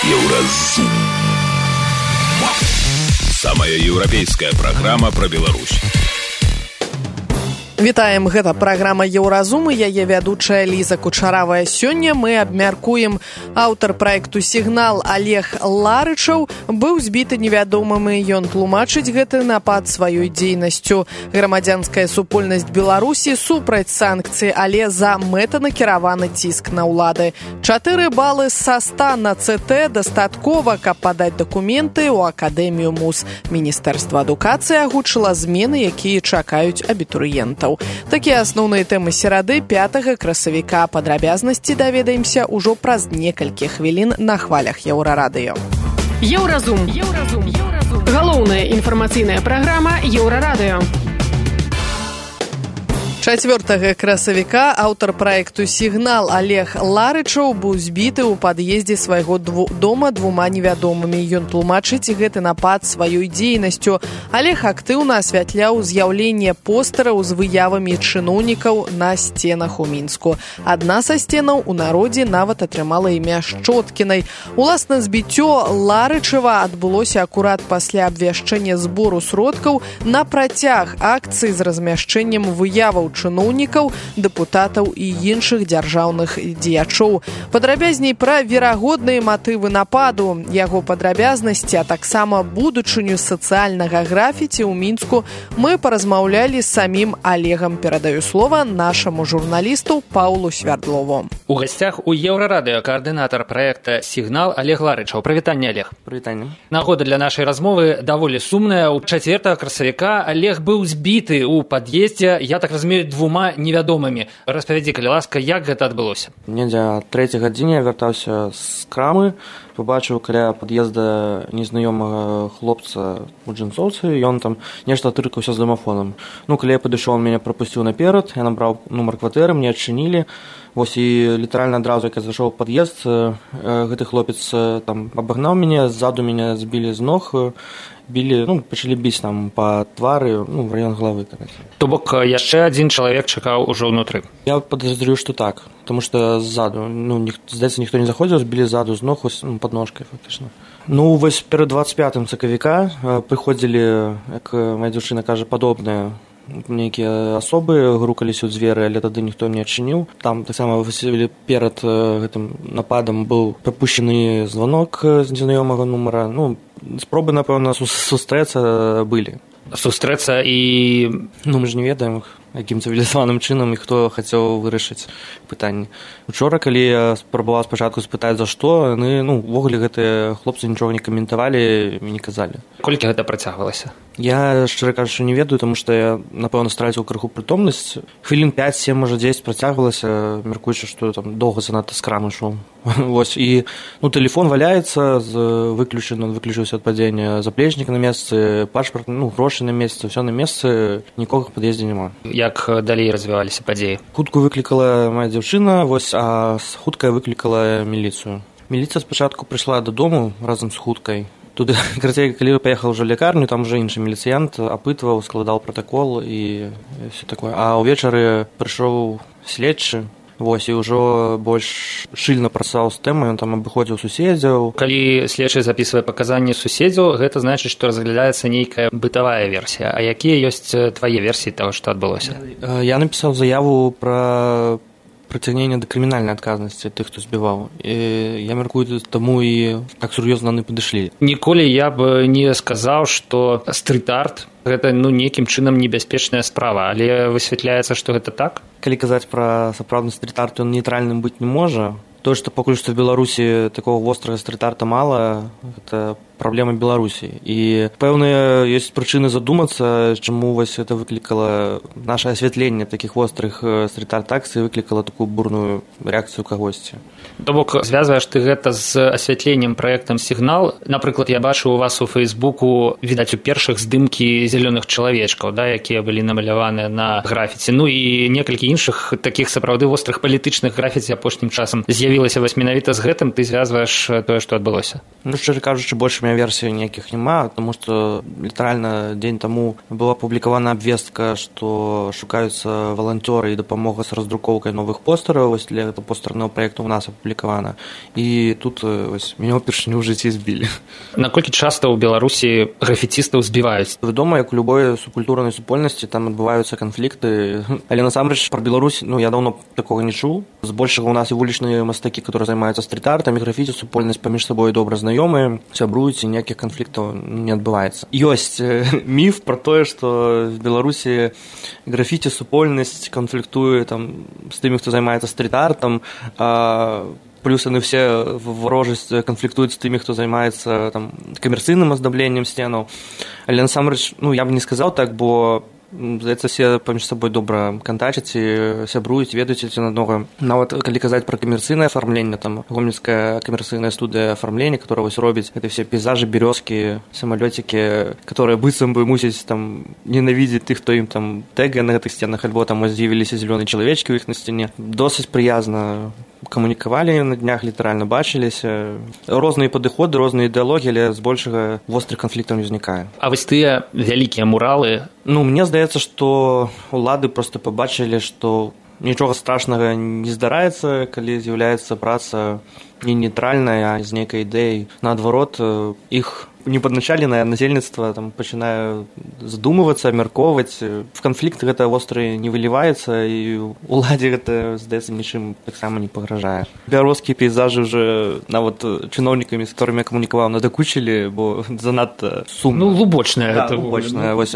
Еўразум. Самая еўрапейская праграма пра Беларусь. Вітаем, гэта праграма «Еўразум» і яе вядучая Ліза Кучаравая. Сёння мы абмяркуем. Аўтар праекту «Сігнал» Олег Ларычаў быў збіты невядомымі. Ён тлумачыць гэты напад сваёй дзейнасцю. Грамадзянская супольнасць Беларусі супраць санкцый, але за мэтанакіраваны ціск на ўлады. 4 балы са 100 на ЦТ дастаткова, каб падаць дакументы ў Акадэмію МУЗ. Міністэрства адукацыі агучыла змены, якія чакаюць абітурыентаў. Такія асноўныя тэмы серады 5 красавіка. Падрабязнасці даведаемся ўжо праз некалькі хвілін на хвалях Еўрарадыё. Еўразум. Галоўная інфармацыйная праграма Еўрарадыё. 4 красавіка аўтар праекту «Сігнал» Олег Ларычаў быў збіты ў пад'ездзе свайго дома 2 невядомымі. Ён тлумачыць гэты напад сваёй дзейнасцю. Олег актыўна асвятляў з'яўленне постэраў з выявамі чыноўнікаў на сценах у Мінску. Адна са сценаў у народзе нават атрымала імя Шчоткінай. Уласна збіццё Ларычава адбылося акурат пасля абвяшчэння збору сродкаў на працяг акцыі з размяшчэннем выяваў чыноўнікаў, дэпутатаў і іншых дзяржаўных дзеячоў. Падрабязней пра верагодныя матывы нападу, яго падрабязнасці, а таксама будучыню сацыяльнага графіці ў Мінску мы паразмаўлялі з самім Олегам. Перадаю слова нашаму журналісту Паўлу Свярдлову. У гасцях у Еўрарадыё каардынатар праекта «Сігнал» Олег Ларычаў. Прывітанне, Олег. Прывітанне. Нагода для нашай размовы даволі сумная. У 4 красавіка Олег быў збіты ў пад'ездзе, я так разумею, 2 невядомымі. Распавядзі, калі ласка, як гэта адбылося? Недзе о 3 гадзіне я вяртаўся з крамы, побачыў каля пад'езда незнаёмага хлопца у джинсоўцы, ён там нешта тыркаўся з дамафонам. Калі я падышоў, он мяне прапусціў наперад, я набраў нумар кватэры, мне адчынілі. Вось і літаральна адразу, як я зайшоў у пад'езд, гэты хлопец там абагнаў мяне, ззаду мяне збілі з ног, білі, пачалі біць там па твары, в раён галавы. То бок яшчэ адзін чалавек чакаў ужо ўнутры. Я падазрюю, што так, таму што ззаду, здаецца, ніхто не заходзіў, збілі ззаду з ног, пад ножкай фактычна. Вось перад 25 сакавіка прыходзілі, як моя дзяўчына кажа, падобныя нейкія асобы, грукаліся ў дзверы, але тады ніхто не адчыніў. Там таксама перад гэтым нападам быў прапушчаны званок з незнаёмага нумара. Спробы, напэўна, сустрэцца былі. Сустрэцца і... Мы ж не ведаем, якім цывілізаваным чынам і хто хацеў вырашыць пытанне. Учора, калі я спрабаваў спачатку спытаць, за што, яны, увогуле гэтыя хлопцы нічога не каментавалі і не казалі. Колькі гэта працягвалася? Я, шчыра кажучы, не ведаю, таму што я, напэўна, страціў крыху прытомнасць. Хвілін 5-7, можа 10 працягвалася, мяркуючы, што там доўга занадта з крамы ішоў. Вось, і, тэлефон валяецца, выключыўся ад падзення, заплечнік на месцы, пашпарт, грошы на месцы, ўсё на месцы, нікога в пад'ездзе няма. Як далей развіваліся падзеі? Хутку выклікала моя дзяўчына, вось, а хуткая выклікала міліцыю. Міліцыя спачатку прыйшла дадому разам з хуткай. Туды, карацей, калі паехаў ужо лекарню, там уже іншы міліцыянт апытваў, складаў пратакол і все такое. А ўвечары прыйшоў следчы, вось, і ўжо больш шчыльна працаваў з тэмай, ён там абыходзіў суседзяў. Калі следчы запісвае паказанні суседзяў, гэта значыць, што разглядаецца нейкая бытавая версія. А якія ёсць твае версіі таго, што адбылося? Я напісаў заяву пра прыцягнення да крымінальнай адказнасці тых, хто збіваў. І я мяркую, таму і так сур'ёзна яны падышлі. Ніколі я б не сказаў, што стрит-арт гэта нейкім чынам небяспечная справа, але высвятляецца, што гэта так? Калі казаць пра сапраўдны стрит-арт, ён нейтральным быць не можа. То, што пакуль што в Беларусі такого вострага стрит-арта мала, гэта праблема Беларусі. І пэўныя ёсць прычыны задумацца, чаму вось гэта выклікала наше асвятленне такіх вострых стрит-арт-акцый, выклікала такую бурную рэакцыю кагосьці. То бок, звязваеш ты гэта з асвятленнем праектам «Сігнал». Напрыклад, я бачу у вас у Фейсбуку, відаць, у першых здымкі зялёных чалавечкаў, якія былі намаляваныя на графіці. І некалькі іншых такіх сапраўды вострых палітычных графіці апошнім часам з'явілася вось менавіта з гэтым, ты звязваеш тое, што адбылося. Шчыра кажучы, больш мяне версій ніяких няма, тому що літаральна день тому була опублікована обвестка, що шукаються волонтери і допомога з роздруківкою нових постерів. Ось для цього постерного проєкту у нас опублікована. І тут ось мене вперше в житті збили. Наколькі часто у Беларусі графітістаў збіваюць? Вядома, як у любой субкультурнай супольнасці, там адбываюцца канфлікты. Але насамрэч пра Беларусь, я давно такога не чуў. Збольшага у нас і вулічныя мастакі, которые займаюцца стрит-артам, і графіці супольнасць паміж сабой добра знаёмыя, сябруюць, і ніякіх канфліктаў не адбываецца. Ёсць міф пра тое, што в Беларусі графіці супольнасць канфліктуе там з тымі, хто займаецца стрит-артам, плюс яны все ворожасць канфліктуюць з тымі, хто займаецца там камерцыйным аздабленнем сценаў. Але насамрэч, я б не сказаў так, бо здаецца, все паміж сабой добра кантачаць і сябруюць, ведаюць адзін аднаго. Нават калі казаць пра камерцыйнае афармленне, там гомельская камерцыйная студыя афармлення, которая вось робіць гэта все пейзажы, бярозкі, самалёцікі, которые быццам бы мусяць там ненавідзець тых, хто ім там тэгае на гэтых сценах, альбо там з'явіліся зялёныя чалавечкі ў іх на сцяне. Досыць прыязна камунікавалі на днях, літаральна бачыліся. Розныя падыходы, розныя ідэалогіі, але збольшага вострых канфліктаў не ўзнікае. А вось тыя вялікія муралы? Мне здаецца, што улады проста пабачылі, што нічога страшнага не здараецца, калі з'яўляецца праца не нейтральная, а з нейкай ідэяй. Наадварот, іх непадначаленае насельніцтва там пачынае задумвацца, абмяркоўваць. В канфлікт гэта востры не выліваецца, і уладзе гэта, здаецца, нічым таксама не пагражае. Бярозкія пейзажы ўжо нават чыноўнікамі, з которымі я камунікаваў, надакучылі, бо занадта сумна. Глубочная. Да, глубочная. Вось,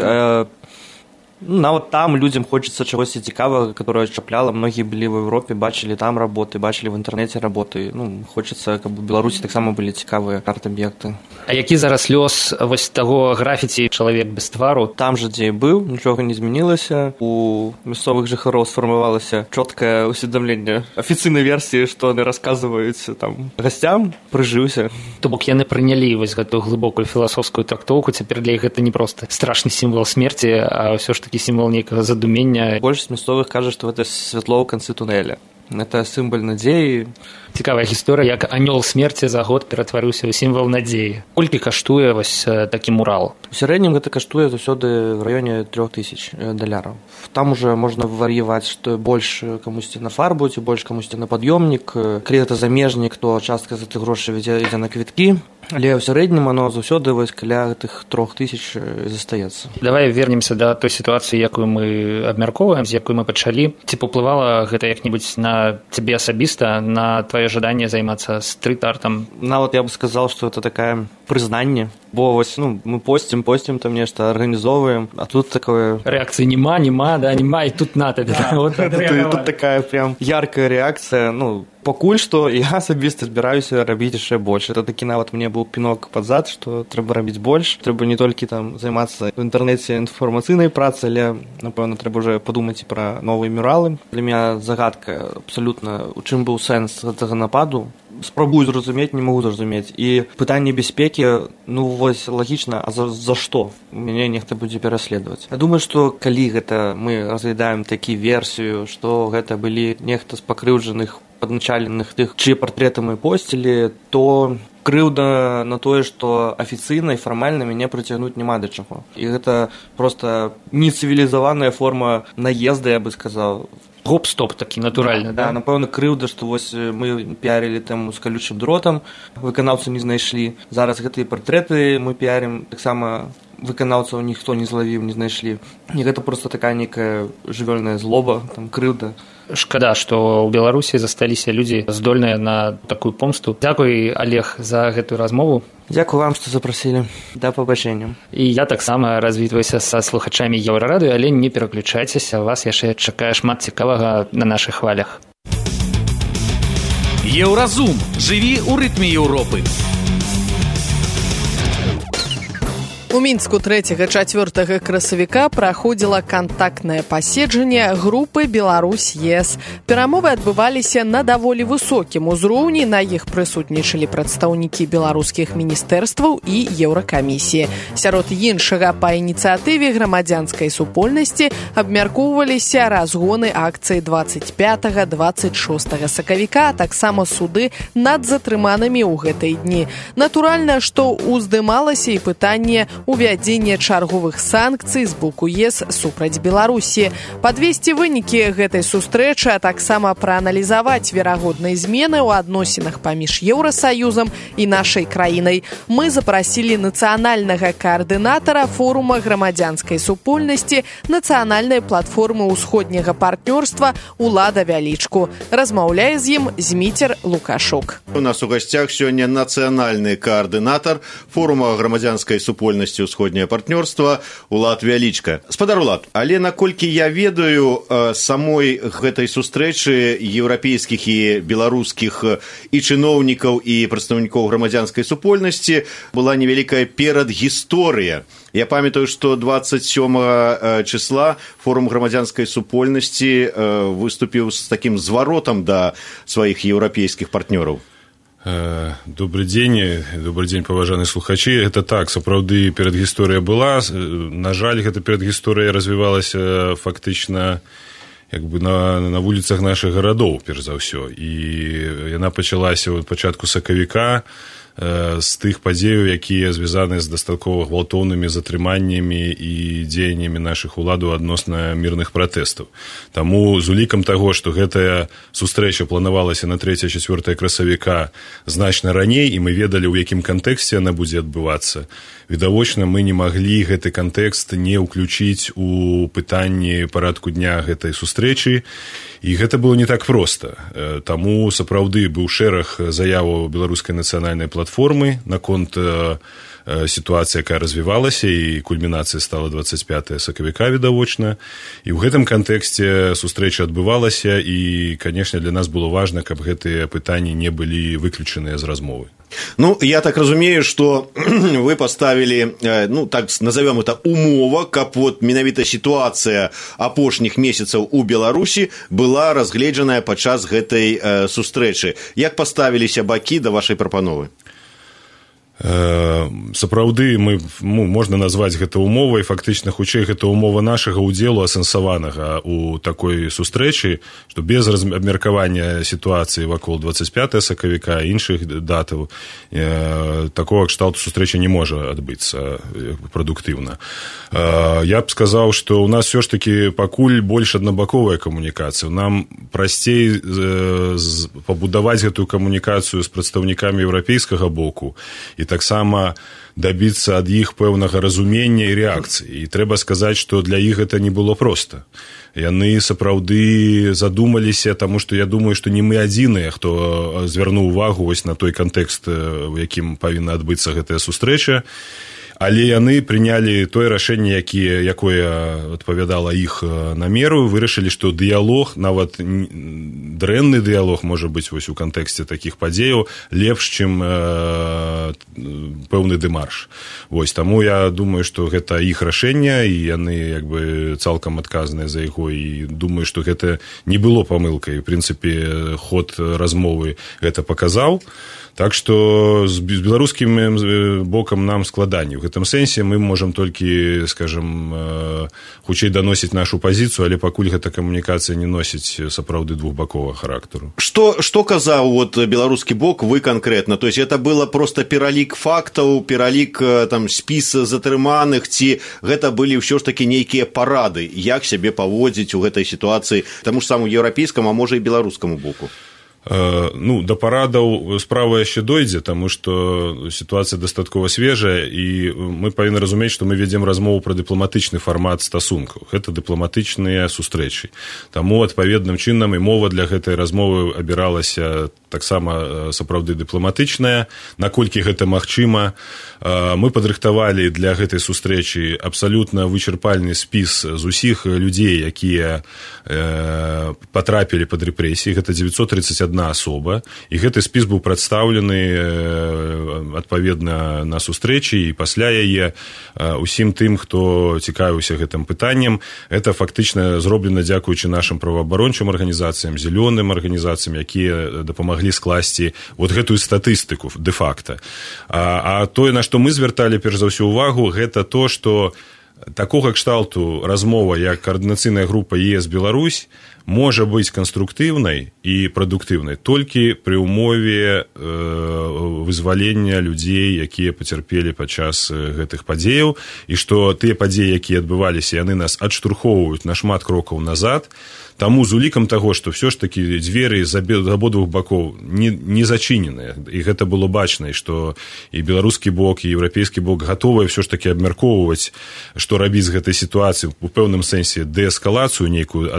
нават там людзям хочацца чагосьці цікавага, которое чапляла. Многія былі в Европе, бачылі там работы, бачылі в інтэрнэце работы. Хочацца, каб у Беларусі таксама былі цікавыя арт-аб'екты. А які зараз лёс вось таго графіці «Чалавек без твару»? Там жа, дзе і быў, нічога не змянілася. У мясцовых жыхароў сфармавалася чоткае усведамленне афіцыйнай версіі, што яны расказваюць там гасцям, прыжыўся. То бок яны прынялі вось гэтую глыбокую філасофскую трактоўку. Цяпер для іх гэта не проста страшны сімвал смерці, а ўсё ж такі сімвал нейкага задумення. Большасць мясцовых кажа, што гэта святло ў канцы тунэля. Гэта сімвал надзеі. Цікавая гісторыя, як анёл смерці за год ператварыўся ў сімвал надзеі. Колькі каштуе вось такі мурал? У сярэднім гэта каштуе заўсёды в раёне $3000. Там уже можна вар'яваць, што больш камусьці на фарбу, ці больш камусьці на пад'ёмнік. Калі гэта замежнік, то частка за тых грошай ідзе на квіткі. Але ў сярэднім оно заўсёды вось каля гэтых 3000 застаецца. Давай вернемся да той сітуацыі, якую мы абмяркоўваем, з якой мы пачалі. Ці паўплывала гэта як-небудзь на цябе асабіста, на твоё жаданне займацца стрит-артам? Нават я бы сказал, што это такая прызнанне. Бо вось, мы постим там нешта, арганізоўваем, а тут такое... Рэакцыі няма, і тут на табе. Тут такая прям яркая рэакцыя. Пакуль што я асабіста збіраюся рабіць яшчэ больш. Это такі нават мне быў пінок пад зад, што трэба рабіць больш. Трэба не толькі там займацца в інтэрнэце інфармацыйнай працай, але, напэўна, трэба ўжо падумаць і пра новыя мюралы. Для мяне загадка абсалютна, у чым быў сэнс гэтага нападу. Спрабую зразумець, не магу зразумець. І пытанне бяспекі, вось лагічна, а за што? Мяне нехта будзе пераследаваць. Я думаю, што калі гэта мы разглядаем такі версію, што гэта былі нехта з пакрыўджаных, падначаленых тых, чые партрэты мы посцілі, то крыўда на тое, што афіцыйна і фармальна мяне прыцягнуць няма да чаго. І гэта проста нецывілізаваная форма наезда, я бы сказаў. Гоп-стоп такі натуральны, да? Напэўна, крыўда, што вось мы піарілі тэму з калючым дротам, выканаўцу не знайшлі. Зараз гэтыя партрэты мы піарім, таксама выканаўцаў ніхто не злавіў, не знайшлі. І гэта проста такая нейкая жывёльная злоба, там крыўда. Шкада, што ў Беларусі засталіся людзі здольныя на такую помсту. Дзякуй, Олег, за гэтую размову. Дзякуй вам, што запрасілі. Да пабачэння. І я таксама развітваюся са слухачамі Еўрарадыё, але не пераключайцеся, вас яшчэ чакае шмат цікавага на нашых хвалях. Еўразум. Жыві ў рытме Еўропы. У Мінску 3-4 красавіка праходзіла кантактнае паседжанне групы Беларусь-ЕС. Перамовы адбываліся на даволі высокім узроўні, на іх прысутнічалі прадстаўнікі беларускіх міністэрстваў і Еўракамісіі. Сярод іншага, па ініцыятыве грамадзянскай супольнасці абмяркоўваліся разгоны акцыі 25-26 сакавіка, а таксама суды над затрыманымі ў гэтыя дні. Натуральна, што уздымалася і пытанне увядзення чарговых санкцый з боку ЕС супраць Беларусі. Падвесці вынікі гэтай сустрэчы, а таксама прааналізаваць верагодныя змены ў адносінах паміж Еўрасаюзам і нашай краінай мы запрасілі нацыянальнага каардынатара форума грамадзянскай супольнасці нацыянальнай платформы ўсходняга партнёрства Улада Вялічку. Размаўляе з ім Зміцер Лукашук. У нас у гасцях сёння нацыянальны каардынатар форума грамадзянскай супольнасці «Усходняе партнёрства» Улад Вялічка. Спадар Улад, але наколькі я ведаю, самой гэтай сустрэчы еўрапейскіх і беларускіх і чыноўнікаў і прадстаўнікоў грамадзянскай супольнасці была невялікая перадгісторыя. Я памятаю, што 27 числа форум грамадзянскай супольнасці выступіў з такім зваротам да сваіх еўрапейскіх партнёраў. Добрый день, паважаныя слухачы. Это так, сапраўды перадгісторыя была. На жаль, гэта перадгісторыя развівалася фактычна на вуліцах нашых гарадоў, перш за ўсё. І яна пачалася ў пачатку сакавіка з тых падзеяў, якія звязаны з дастаткова гвалтоўнымі затрыманнямі і дзеяннямі нашых уладаў адносна мірных пратэстаў. Таму з улікам таго, што гэтая сустрэча планавалася на 3-4 красавіка значна раней, і мы ведалі, у якім кантэксце яна будзе адбывацца, відавочна, мы не маглі гэты кантэкст не ўключыць у пытанні парадку дня гэтай сустрэчы, і гэта было не так проста. Таму сапраўды быў шэраг заяваў беларускай нацыянальнай платформы наконт сітуацыі, якая развівалася, і кульмінацыя стала 25 сакавіка, відавочна. І ў гэтым кантэксце сустрэча адбывалася, і, канешне, для нас было важна, каб гэтыя пытанні не былі выключаныя з размовы. Ну, я так разумею, что вы поставили, так назовем это, умова, каб вот менавіта ситуация апошніх месяцаў у Беларусі была разгледжаная падчас гэтай сустрэчы. Як поставіліся бакі да вашай прапановы? Сапраўды можна назваць гэта умовай, фактычна хутчэй гэта умова нашага ўдзелу асэнсаванага у такой сустрэчы, што без абмеркавання сітуацыі вакол 25 сакавіка і іншых датаў такога кшталту сустрэча не можа адбыцца прадуктыўна. Я б сказаў, што ў нас все ж таки пакуль больш аднабаковая камунікацыя. Нам прасцей пабудаваць гэтую камунікацыю з прадстаўнікамі еўрапейскага боку і таксама дабіцца ад іх пэўнага разумення і рэакцыі. І трэба сказаць, што для іх гэта не было проста. Яны сапраўды задумаліся, таму што я думаю, што не мы адзіныя, хто звярнуў увагу вось на той кантэкст, у якім павінна адбыцца гэтая сустрэча. Але яны прынялі тое рашэнне, якое адпавядала іх намеру, вырашылі, што дыялог, нават дрэнны дыялог, можа быць, вось у кантэксце такіх падзеяў, лепш, чым пэўны дэмарш. Вось, таму я думаю, што гэта іх рашэнне, і яны цалкам адказныя за яго, і думаю, што гэта не было памылкай. У прынцыпе, ход размовы гэта паказаў. Так што з беларускім бокам нам складанне. У гэтым сэнсе мы можам толькі, скажам, хутчэй даносіць нашу пазіцыю, але пакуль гэта камунікацыя не носіць сапраўды двухбаковага характару. Што казаў беларускі бок, вы канкрэтна? То есть это было просто пералік фактаў, пералік спіс затрыманых, ці гэта былі ўсё ж такі нейкія парады, як сябе паводзіць у гэтай сітуацыі таму ж самому еўрапейскаму, а можа і беларускаму боку? Да парадаў справа яшчэ дойдзе, таму што сітуацыя дастаткова свежая, і мы павінны разумець, што мы вядзем размову пра дыпламатычны фармат стасункаў. Гэта дыпламатычныя сустрэчы. Таму адпаведным чынам і мова для гэтай размовы абіралася таксама сапраўды дыпламатычная. Наколькі гэта магчыма, мы падрыхтавалі для гэтай сустрэчы абсалютна вычарпальны спіс з усіх людзей, якія патрапілі пад рэпрэсіі. Гэта 931 адна асоба, і гэты спіс быў прадстаўлены адпаведна на сустрэчы, і пасля яе усім тым, хто цікавіўся гэтым пытаннем. Это фактычна зроблена дзякуючы нашым праваабарончым арганізацыям, зялёным арганізацыям, якія дапамаглі скласці вот гэтую статыстыку дэ-факта. А тое, на што мы звярталі перш за ўсё ўвагу, гэта то, што такога кшталту размова, як каардынацыйная група ЕС Беларусь, можа быць канструктыўнай і прадуктыўнай толькі пры ўмове вызвалення людзей, якія пацярпелі падчас гэтых падзеяў, і што тыя падзеі, якія адбываліся, яны нас адштурхоўваюць на шмат крокаў назад. Таму з улікам таго, што ўсё ж такі дзверы з абодвух бакоў не зачыненыя, і гэта было бачна, і што і беларускі бок, і еўрапейскі бок гатовыя ўсё ж такі абмяркоўваць, што рабіць з гэтай сітуацыі, у пэўным сэнсе дээскалацыю нейкую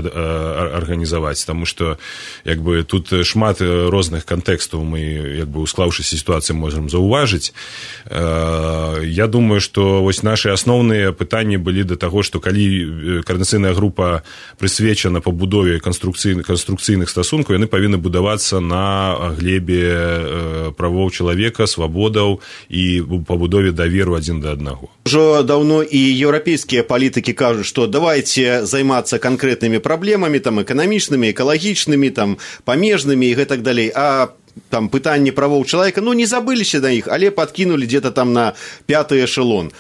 арганізаваць, таму што тут шмат розных кантэкстаў мы, у склаўшыся сітуацыі, можам заўважыць. Я думаю, што вось нашы асноўныя пытанні былі да таго, што калі каардынацыйная група прысвечана пабудове канструкцыйных стасункаў, яны павінны будавацца на глебе правоў чалавека, свабодаў і пабудове даверу адзін да аднаго. Ужо даўно і еўрапейскія палітыкі кажуць, што давайце займацца канкрэтнымі праблемамі, там, эканамічнымі, экалагічнымі, там, памежнымі і гэтак далей. А там пытанні правоў чалавека, не забыліся на іх, але падкінулі где-то там на 5-й эшелон.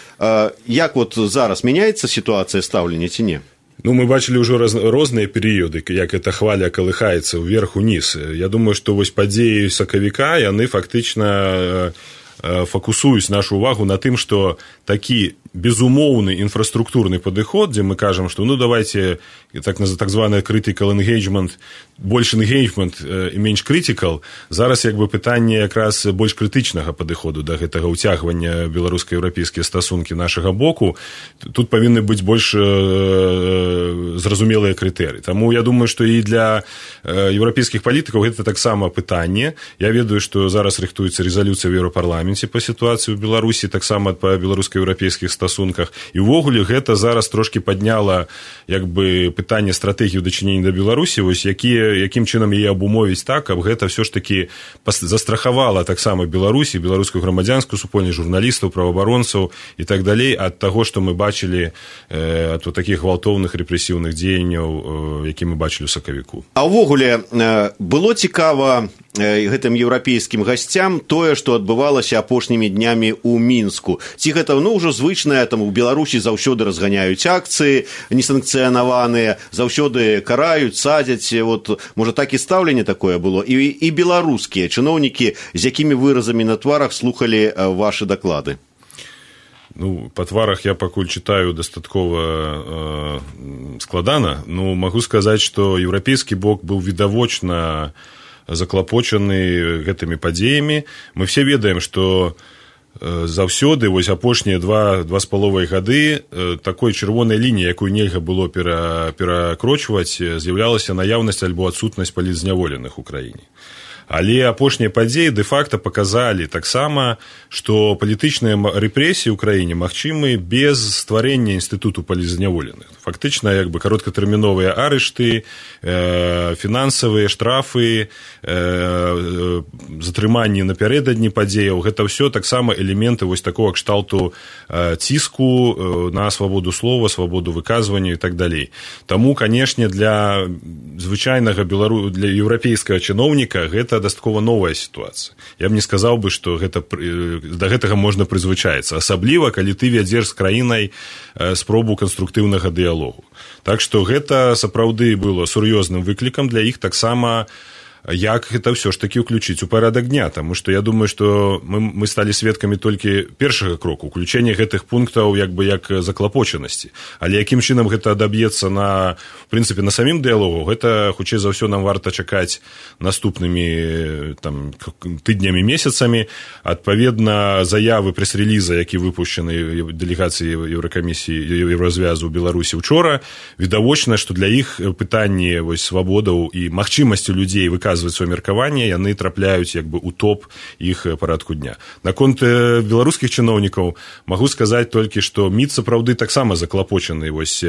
Як вот зараз мяняецца сітуацыя стаўлення ці не? Мы бачылі ўжо розныя перыёды, як эта хваля калыхаецца ўверх-уніз. Я думаю, што вось падзеі сакавіка, яны фактычна фокусуюць нашу увагу на тым, што такі безумоўны інфраструктурны падыход, дзе мы кажам, што давайте так званы critical engagement, больш engagement і менш critical, зараз пытанне якраз больш крытычнага падыходу да гэтага ўцягвання беларуска-еўрапейскія стасункі нашага боку. Тут павінны быць больш зразумелыя крытэрыі. Таму я думаю, што і для еўрапейскіх палітыкаў гэта таксама пытанне. Я ведаю, што зараз рыхтуецца рэзалюцыя ў Еўрапарламенце па сітуацыі ў Беларусі, таксама па беларуска-еўрапейскіх стасунках. І ўвогуле гэта зараз трошкі падняла пытанне стратэгію дачынення да Беларусі, вось якім чынам яе абумовіць так, каб гэта ўсё ж такі застрахавала таксама Беларусі, беларускую грамадзянскую супольнасць, журналістаў, праваабаронцаў і так далей ад таго, што мы бачылі ад такіх гвалтоўных рэпрэсіўных дзеянняў, які мы бачылі ў сакавіку. А ўвогуле было цікава гэтым еўрапейскім гасцям тое, што адбывалася апошнімі днямі ў Мінску. Ці гэта ўжо звычнае, там у Беларусі заўсёды разганяюць акцыі несанкцыянаваныя, заўсёды караюць, садзяць. Можа, так і стаўленне такое было. І беларускія чыноўнікі, з якімі выразамі на тварах слухалі вашы даклады? Па тварах я пакуль чытаю дастаткова складана. Магу сказаць, што еўрапейскі бок быў відавочна заклапочаны гэтымі падзеямі. Мы все ведаем, што заўсёды апошнія 2,5 гады такой чырвонай лініі, якую нельга было перакрочваць, з'яўлялася наяўнасць альбо адсутнасць палітзняволеных у краіне. Але апошнія падзеі дэ-факта паказалі таксама, што палітычныя рэпрэсіі ў краіне магчымы без стварэння інстытуту палітзняволеных. Фактычна, кароткатэрміновыя арышты, фінансавыя штрафы, затрыманні напярэдадні падзеяў, гэта ўсё таксама элементы такога кшталту ціску на свабоду слова, свабоду выказвання і так далей. Таму, канешне, для звычайнага для еўрапейскага чыноўніка гэта дастаткова новая сітуацыя. Я б не сказаў бы, што да гэтага можна прызвычаіцца, асабліва, калі ты вядзеш з краінай спробу канструктыўнага дыялогу. Так што гэта сапраўды было сур'ёзным выклікам для іх таксама, як гэта ўсё ж такі ўключыць у парадак дня, таму што я думаю, што мы сталі сведкамі толькі першага кроку, уключэння гэтых пунктаў як заклапочанасці. Але якім чынам гэта адаб'ецца на самім дыялогу, гэта хутчэй за ўсё нам варта чакаць наступнымі тыднямі, месяцамі. Адпаведна, заявы прэс-рэліза, які выпушчаны дэлегацыяй Еўракамісіі Еўразвязу ў Беларусі учора, відавочна, што для іх пытанні свабодаў і магчымасці людзей выказваць выказваць сваё меркаванне, яны трапляюць як бы ў топ іх парадку дня. Наконт беларускіх чыноўнікаў магу сказаць толькі, што МІД сапраўды таксама заклапочаны вось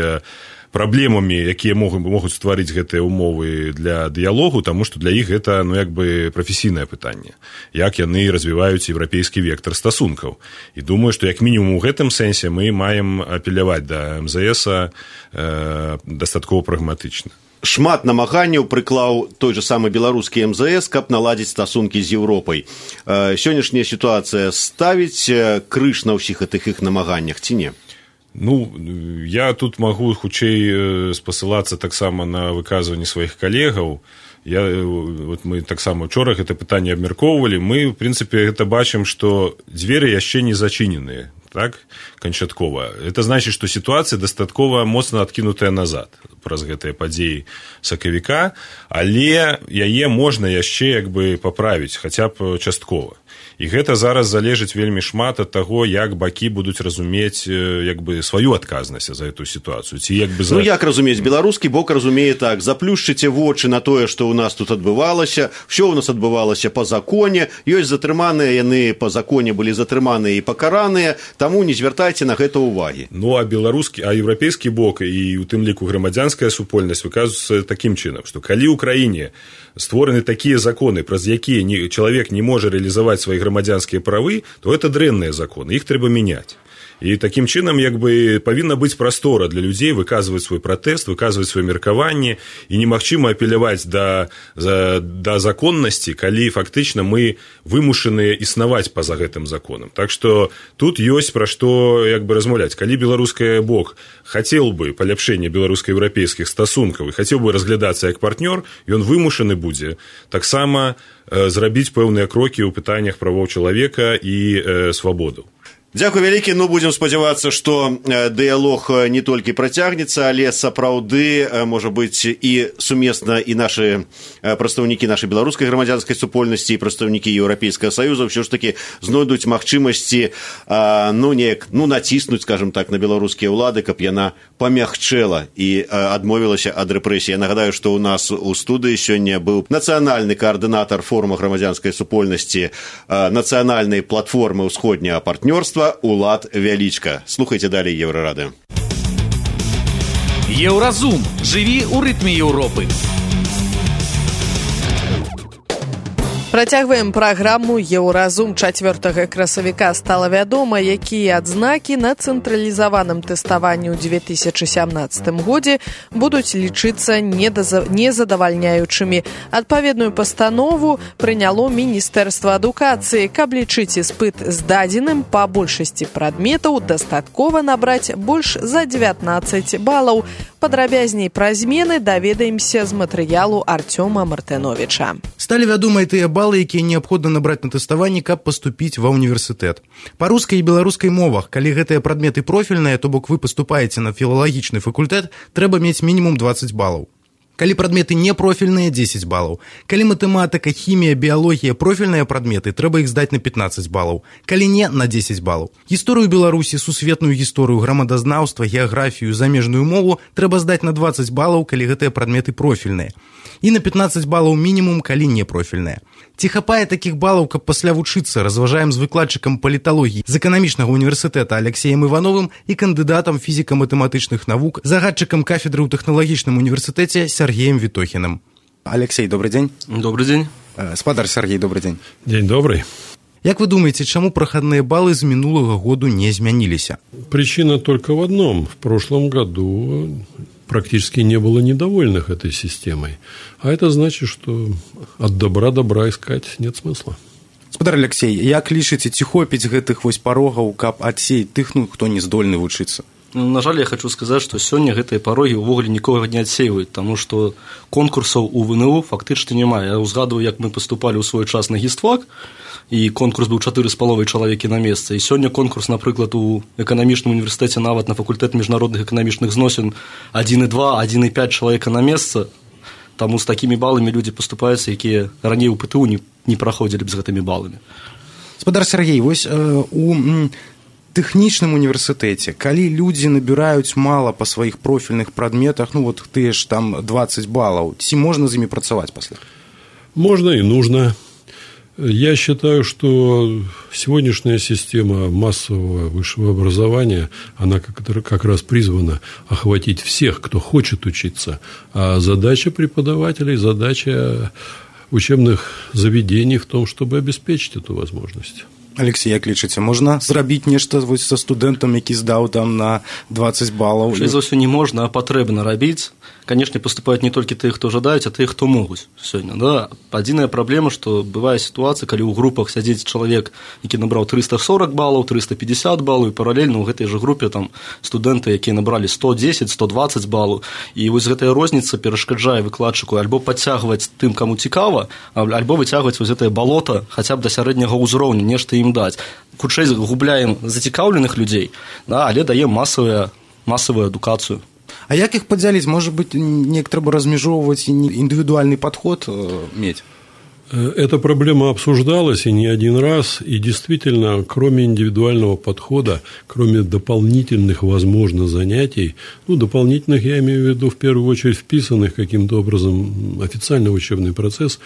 праблемамі, якія могуць стварыць гэтыя ўмовы для дыялогу, таму што для іх гэта як бы прафесійнае пытанне, як яны развіваюць еўрапейскі вектар стасункаў. І думаю, што як мінімум у гэтым сэнсе мы маем апеляваць да МЗС дастаткова прагматычна. Шмат намаганняў прыклаў той же самы беларускі МЗС, каб наладзіць стасункі з Еўропай. Сённяшняя сітуацыя ставіць крыж на ўсіх гэтых іх намаганнях ці не? Ну, я тут магу хутчэй спасылацца таксама на выказванні сваіх калегаў. Вот мы таксама учора гэта пытанне абмяркоўвалі. Мы, в прынцыпе, гэта бачым, што дзверы яшчэ не зачыненыя, так, канчаткова. Это значыць, што сітуацыя дастаткова моцна адкінутая назад праз гэтыя падзеі сакавіка, але яе можна яшчэ як бы паправіць, хаця б часткова. І гэта зараз залежыць вельмі шмат ад таго, як бакі будуць разумець як бы сваю адказнасць за эту сітуацыю. Ці як бы Ну як разумець? Беларускі бок разумее так: заплюшчыце вочы на тое, што ў нас тут адбывалася, ўсё ў нас адбывалася па законе, ёсць затрыманыя, яны па законе былі затрыманыя і пакараныя, таму не звяртайце на гэта ўвагі. Ну а еўрапейскі бок і у тым ліку грамадзянская супольнасць выказваюцца такім чынам, што калі ў краіне створаны такія законы, праз якія чалавек не можа рэалізаваць свае грамадзянскія правы, то это дрэнныя законы, іх трэба мяняць. І такім чынам як бы павінна быць прастора для людзей выказваць свой пратэст, выказваць сваё меркаванне, і немагчыма апеляваць да законнасці, калі фактычна мы вымушаныя існаваць па-за гэтым законам. Так што тут ёсць пра што як бы размаўляць. Калі беларускі бок хацеў бы паляпшэння беларуска-еўрапейскіх стасункаў і хацеў бы разглядацца як партнёр, ён вымушаны будзе таксама зрабіць пэўныя крокі ў пытаннях правоў чалавека і свабодаў. Дзякуй вялікі. Ну, будзем спадзявацца, што дыялог не толькі працягнецца, але сапраўды, можа быць, і сумесна і нашы прадстаўнікі нашай беларускай грамадзянскай супольнасці і прадстаўнікі Еўрапейскага саюза ўсё ж такі знойдуць магчымасці націснуць, скажам так, на беларускія ўлады, каб яна памягчэла і адмовілася ад рэпрэсій. Я нагадаю, што ў нас у студыі сёння быў нацыянальны каардынатар форума грамадзянскай супольнасці нацыянальнай платформы ўсходняга партнёрства Улад Вялічка. Слухайте далее Еврорадио. Еўразум. Жыві ў рытме Еўропы. Працягваем праграму «Еўразум». 4 красавіка стала вядома, якія адзнакі на цэнтралізаваным тэставанні ў 2017 годзе будуць лічыцца незадавальняючымі. Адпаведную пастанову прыняло Міністэрства адукацыі. Каб лічыць іспыт здадзеным, па большасці прадметаў дастаткова набраць больш за 19 балаў. Падрабязней пра змены даведаемся з матэрыялу Артёма Мартыновіча. Сталі вядомыя тыя балы, якія неабходна набраць на тэставанні, каб паступіць ва ўніверсітэт. Па рускай і беларускай мовах, калі гэтыя прадметы профільныя, то бок вы паступаеце на філалагічны факультэт, трэба мець мінімум 20 балаў. Калі прадметы не профільныя, 10 балаў. Калі матэматыка, хімія, біялогія профільныя прадметы, трэба іх здаць на 15 балаў. Калі не, на 10 балаў. Гісторыю Беларусі, сусветную гісторыю, грамадазнаўства, геаграфію, замежную мову трэба здаць на 20 балаў, калі гэтыя прадметы профільныя. І на 15 балаў мінімум, калі не профільныя. Ці хапае такіх балаў, каб пасля вучыцца, разважаем з выкладчыкам паліталогіі з эканамічнага універсітэта Алексеем Івановым і кандыдатам фізіка-матэматычных навук, загадчыкам кафедры ў тэхналагічным універсітэце Сергеем Витохиным. Алексей, добрый день. Добрый день. Спадар Сергей, добрый день. День добрый. Як вы думаете, чаму прахадныя балы з мінулага году не змяніліся? Причина только в одном. В прошлом году практически не было недовольных этой системой. А это значит, что от добра искать нет смысла. Спадар Алексей, як лічыце, ці хопіць гэтых вось парогаў, каб адсеяць тых, хто не здольны вучыцца? На жаль, я хочу сказаць, што сёння гэтыя парогі ўвогуле нікога не адсейваюць, таму што конкурсаў у ВНУ фактычна няма. Я ўзгадваю, як мы паступалі ў свой час на гістфак, і конкурс быў 4,5 чалавекі на месца. І сёння конкурс, напрыклад, у эканамічным універсітэце, нават на факультэт міжнародных эканамічных зносін 1,2, 1,5 чалавека на месца. Таму з такімі баламі людзі паступаюцца, якія раней у ПТУ не праходзілі б з гэтымі баламі. Спадар Сергей, вось у тэхнічным універсітэце, калі людзі набіраюць мала па сваіх профільных прадметах, ну вот тыя ж там 20 балаў, ці можна з імі працаваць пасля? Можно и нужно. Я считаю, что сегодняшняя система массового высшего образования, она как раз призвана охватить всех, кто хочет учиться. А задача преподавателей, задача учебных заведений в том, чтобы обеспечить эту возможность. Алексей, як лічыце, можна зрабіць нешта са студэнтам, які здаў там на 20 балаў? За ўсё не можна, а патрэбна рабіць. Конечно, поступают не только те, кто жадаюць, а те, кто могуць сёння. Да? Адзіная праблема, што бывае сітуацыя, калі ў групах сядзіць чалавек, які набраў 340 балаў, 350 балаў, і паралельна ў гэтай жа групе там студэнты, якія набралі 110, 120 балаў. І вось гэтая розніца перашкаджае выкладчыку альбо падцягваць тым, каму цікава, альбо выцягваць вось гэтае балота хаця б да сярэдняга ўзроўню, нешта ім даць. Хутчэй губляем зацікаўленых людзей, да, але даем масавую адукацыю. А як іх падзяліць? Может быть, неяк трэба размежоўваць і індывідуальны падход мець? Эта проблема обсуждалась и не один раз, и действительно, кроме индивидуального подхода, кроме дополнительных, возможно, занятий, дополнительных, я имею в виду, в первую очередь, вписанных каким-то образом официально в учебный процесс,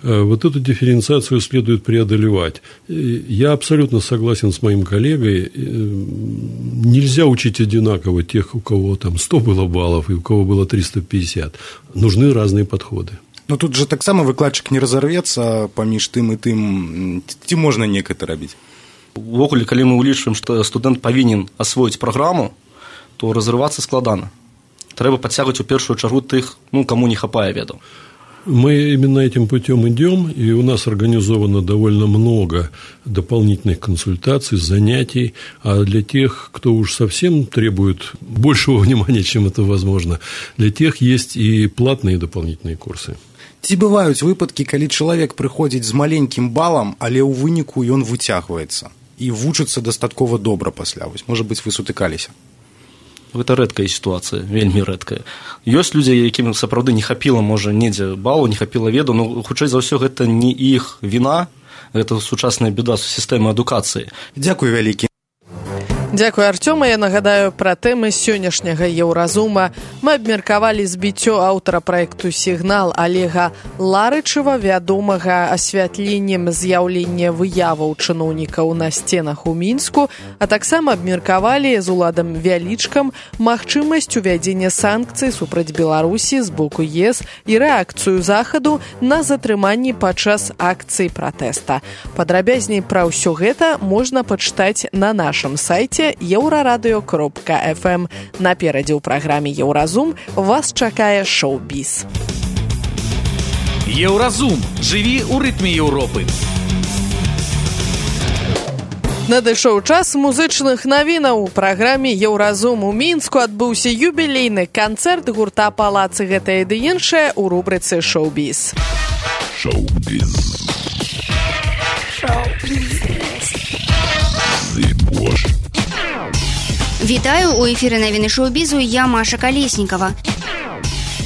вот эту дифференциацию следует преодолевать. Я абсолютно согласен с моим коллегой, нельзя учить одинаково тех, у кого там 100 было баллов и у кого было 350. Нужны разные подходы. Но тут же таксама выкладчык не разорвецца паміж тым і тым, ці можна неяк гэта рабіць? Увогуле, калі мы ўлічваем, што студэнт павінен асвоіць праграму, то разрывацца складана. Трэба падцягваць у першую чаргу тых, каму не хапае ведаў. Мы именно этим путем идем, и у нас организовано довольно много дополнительных консультаций, занятий, а для тех, кто уж совсем требует большего внимания, чем это возможно, для тех есть и платные дополнительные курсы. Ці бываюць выпадкі, калі чалавек прыходзіць з маленькім балам, але ў выніку ён выцягваецца і вучыцца дастаткова добра пасля. Можа быць, вы сутыкаліся? Гэта рэдкая сітуацыя, вельмі рэдкая. Ёсць людзі, якім сапраўды не хапіла, можа, недзе балу, не хапіла веду, но хутчэй за ўсё гэта не іх віна, гэта сучасная беда сістэмы адукацыі. Дзякуй вялікі. Дзякуй, Артёма. Я нагадаю пра тэмы сённяшняга Еўразума. Мы абмеркавалі збіццё аўтара праекту «Сігнал» Олега Ларычева, вядомага асвятленнем з'яўлення выяваў чыноўнікаў на сценах у Мінску, а таксама абмеркавалі з Уладам Вялічкам магчымасць увядзення санкцый супраць Беларусі з боку ЕС і рэакцыю захаду на затрыманні падчас акцыі пратэста. Падрабязней пра ўсё гэта можна пачытаць на нашым сайце euraradeo.fm. Наперадзе ў праграме «Еўразум» вас чакае шоу-біз. Еўразум. Жыві ў рытме Еўропы. Надышоў час музычных навінаў. У праграме «Еўразум» у Мінску адбыўся юбілейны канцэрт гурта «Палац» і гэтае ды іншае ў рубрыцы «Шоу-біз». Шоу-біз. Вітаю, у эфіры навіны шоу-бізу, я Маша Калеснікова.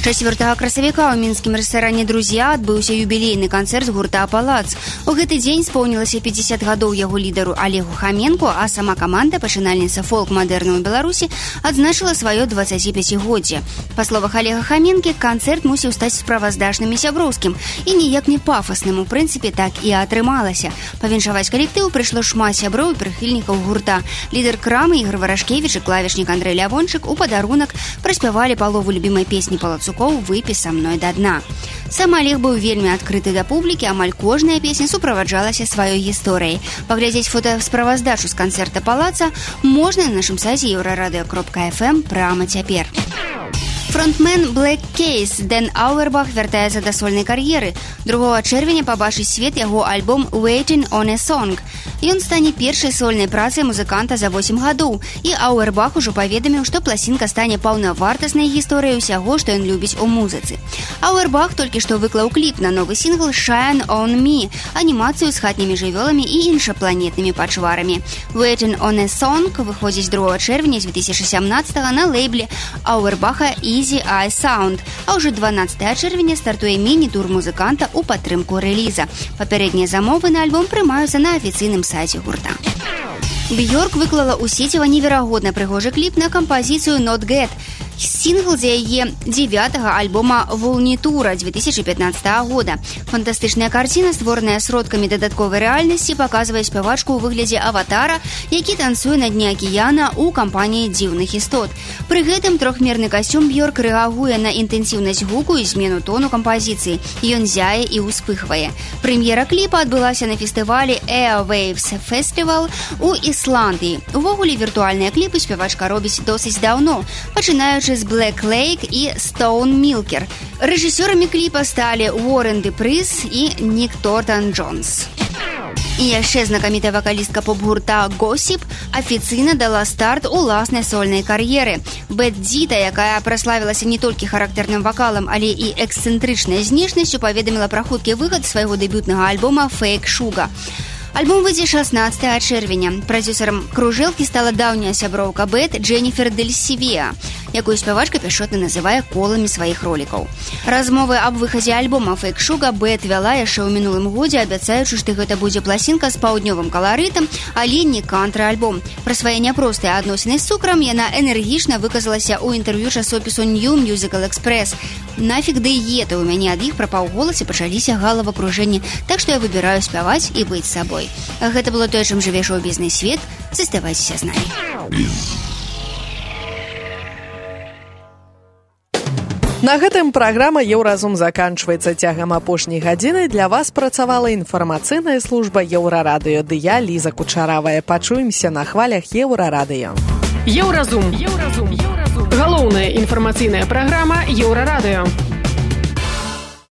4 красавіка ў мінскім рэстаране «Друзья» адбыўся юбілейны канцэрт гурта «Палац». У гэты дзень споўнілася 50 гадоў яго лідару Олегу Хаменку, а сама каманда, пачынальніца фолк-мадэрну ў Беларусі, адзначыла сваё 25-годдзе. Па словах Олега Хаменкі, канцэрт мусіў стаць справаздачным і сяброўскім, і ніяк не пафасным, у прынцыпе, так і атрымалася. Павіншаваць калектыў прыйшло шмат сяброў і прыхільнікаў гурта. Лідар крамы Ігор Варашкевіч і клавішнік Андрэй Лявончык у падарунак праспявалі палову любімай песні «Палацу» «Выпі са мной да дна». Сам Олег быў вельмі адкрыты да публікі, амаль кожная песня суправаджалася сваёй гісторыяй. Паглядзець фотасправаздачу з канцэрта «Палаца» можна на нашым сайце euraradeo.fm прямо цяпер. Фронтмен Black Keys Дэн Ауэрбах вяртаецца да сольнай кар'еры. 2 чэрвеня пабачыць свет яго альбом «Waiting on a Song». Ён стане першай сольнай працай музыканта за 8 гадоў, і Ауэрбах ужо паведаміў, што пласінка стане паўнавартаснай гісторыяй усяго, што ён любіць у музыцы. Ауэрбах толькі што выклаў кліп на новы сінгл «Shine on Me», анімацыю з хатнімі жывёламі і іншапланетнымі пачварамі. «Waiting on a Song» выходзіць 2 чэрвеня 2017 на лейбле Ауэрбаха Easy Eye Sound, а ўжо 12 чэрвеня стартуе міні-тур музыканта ў падтрымку рэліза. Папярэднія замовы на альбом прымаюцца на афіцыйным сайце гурта. Бьорк выклала ў сеціва неверагодна прыгожы кліп на кампазіцыю «Not Get». Сингл з яе 9-го альбома «Волнитура» 2015 года. Фантастычная карціна, створаная сродкамі дадатковай рэальнасці, паказвае спявачку ў выглядзе аватара, які танцуе на дне акіяна ў кампаніі дзіўных істот. Пры гэтым трохмерны касцюм Бьорк рэагуе на інтэнсіўнасць гуку і змену тону кампазіцыі. Ён зяе і ўспыхвае. Прэм'ера кліпа адбылася на фестывалі Airwaves Festival у Ісландыі. Увогуле, віртуальныя кліпы спявачка робіць досыць даўно, пачынаючы з Black Lake і Stone Milker. Рэжысёрамі кліпа сталі Уоррен Депрыс і Нік Тортан-Джонс. І яшчэ знакамітая вакалістка поп-гурта Gossip афіцыйна дала старт уласнай сольнай кар'еры. Бет Дита, якая праславілася не толькі характэрным вакалам, але і эксцэнтрычнай знешнасцю, паведаміла пра хуткі выхад свайго дэбютнага альбома «Fake Sugar». Альбом выйдзе 16 чэрвеня. Прадзюсарам кружэлкі стала даўняя сяброўка Бет Дженніфер Дель Сівеа, якую спявачка пяшчотна называе коламі сваіх ролікаў. Размовы аб выхадзе альбома «Fake Sugar» Бет вяла яшчэ ў мінулым годзе, абяцаючы, што гэта будзе пласінка з паўднёвым каларытам, але не кантры-альбом. Пра свае няпростыя адносіны з цукрам яна энергічна выказалася ў інтэрв'ю часопісу New Musical Express. «Нафіг дыеты, у мяне ад іх пры паўголасе пачаліся галавакружэнні, так што я выбіраю спяваць і быць сабой». Гэта было тое, чым жыве шоу-бізнес-свет. Заставайцеся з намі. На гэтым праграма «Еўразум» заканчваецца. Цягам апошняй гадзіны для вас працавала інфармацыйная служба Еўрарадыё. Ды я, Ліза Кучаравая. Пачуемся на хвалях Еўрарадыё. Еўразум. Галоўная інфармацыйная праграма Еўрарадыё.